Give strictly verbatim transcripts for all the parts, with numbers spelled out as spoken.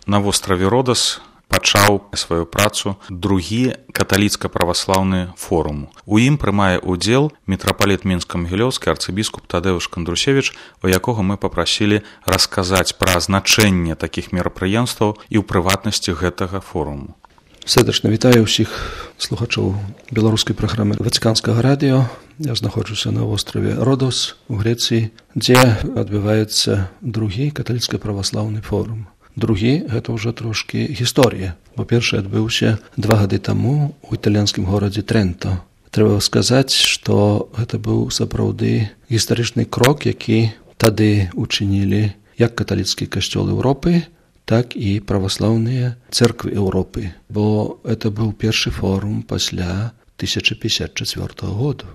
на востраве Родас пачаў сваю працу другі каталіцка-праваслаўны форум. У ім прымае ўдзел мітрапаліт Мінска-Магілёўскі арцыбіскуп Тадэўш Кандрусевіч, у якога мы папрасілі расказаць пра значэнне такіх мерапрыемстваў і ў прыватнасці гэтага форуму. Сэрдачна вітаю ўсіх слухачоў беларускай праграмы Ватыканскага радыё. Я знаходжуся на востраве Родос у Грэцыі, дзе адбываецца другі каталіцка-праваслаўны форум. Другі, гэта ўжо трошкі гісторыя, бо першы адбыўся два гады таму у італьянскім горадзе Трэнто. Трэба сказаць, што гэта быў сапраўды гістарычны крок, які тады учынілі як каталіцкі касцёл Еўропы, так і праваслаўныя цэрквы Еўропы, бо гэта быў першы форум пасля тысяча пятьдесят чацвёртага году.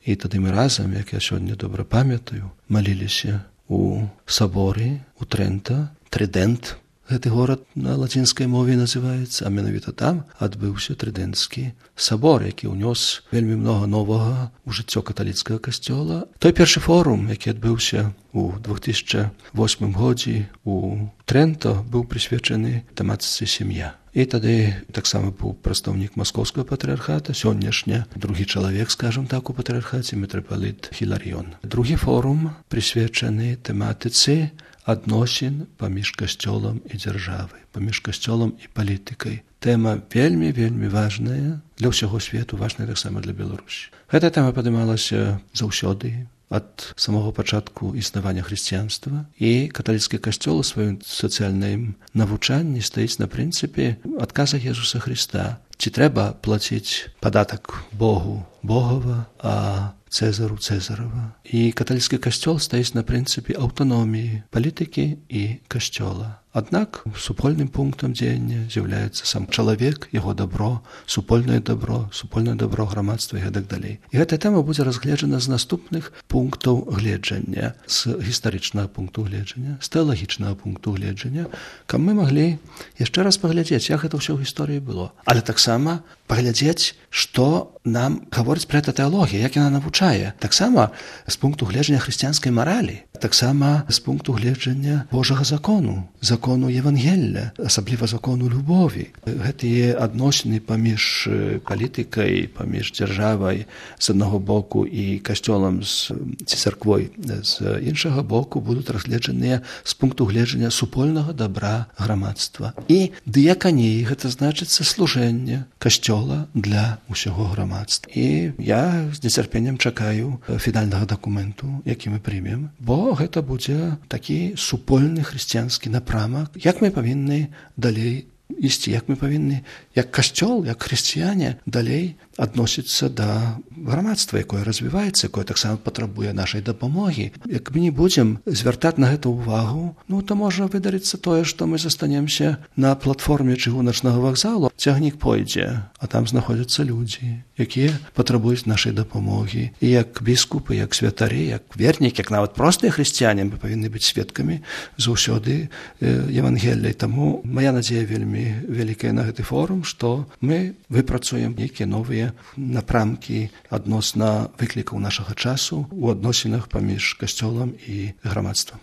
І тады мы разам, як я сёння добра памятаю, маліліся у саборы у Трэнто, Трыдэнт, гэты горад на лацінскай мове называецца, а менавіта там адбыўся трыдэнцкі сабор, які ўнёс вельмі многа новага ў жыццё каталіцкага касцёла. Той першы форум, які адбыўся у две тысячи восьмым годзе у Трэнто, быў прысвечаны тэматыцы сям'я. І тады таксама быў прадстаўнік маскоўскага патрыархата, сённяшня другі чалавек, скажам так, у патрыархаце мітрапаліт Хіларыён. Другі форум прысвечаны тэматыцы адносін паміж касцёлам і дзяржавай, паміж касцёлам і палітыкай. Тэма вельмі-вельмі важная для ўсяго свету, важная таксама для Беларусі. Гэта тэма падымалася заўсёды, ад самого пачатку існавання хрысціянства, і каталіцкі касцёл у сваім сацыяльным навучанні стаіць на прынцыпе адказа Езуса Хрыста. Ці трэба плаціць падатак Богу Богова, а Цэзару Цэзарава. І каталіцкі касцёл стаіць на прынцыпе аўтаноміі палітыкі і касцёла. Аднак супольным пунктам дзеяння з'яўляецца сам чалавек, яго дабро, супольнае дабро, супольнае дабро грамадства і гэтак далей. І гэтая тэма будзе разгледжана з наступных пунктаў гледжання, з гістарычнага пункту гледжання, з тэалагічнага пункту гледжання, каб мы маглі яшчэ раз паглядзець, як гэта ўсё ў гісторыі было. Але таксама паглядзець, што нам гаворыць пра гэта тэалогія, як яна навучае. Таксама з пункту гледжання хрысціянскай маралі, таксама з пункту гледжання Божага закону, закону Евангелля, асабліва закону любові. Гэтыя адносіны паміж палітыкай, паміж дзяржавай з аднаго боку і касцёлам з ці царквой з іншага боку будуць разгледжаныя з пункту гледжання супольнага дабра грамадства. І дыяканій, гэта значыцца служэнне касцёла для ўсяго грамадства. І я з нецярпеннем чакаю фінальнага дакументу, які мы прымем, бо гэта будзе такі супольны хрысціянскі напрамак, як мы павінны далей ісці, як мы павінны, як касцёл, як хрысціяне, далей адносіцца да грамадства, якое развіваецца, якое таксама патрабуе нашай дапамогі. Як мы не будзем звяртаць на гэта ўвагу, ну, то можа выдарыцца тое, што мы застанемся на платформе чыгуначнага вакзалу, цягнік пойдзе, а там знаходзяцца людзі, якія патрабуюць нашай дапамогі. І як біскупы, як святары, як вернікі, як нават простыя хрысціяне, мы павінны быць сведкамі заўсёды Евангелля. Таму мая надзея вельмі вялікая на гэты форум, што мы выпрацуем нейкія новыя напрамкі адносна выклікаў нашага часу у адносінах паміж касцёлам і грамадствам.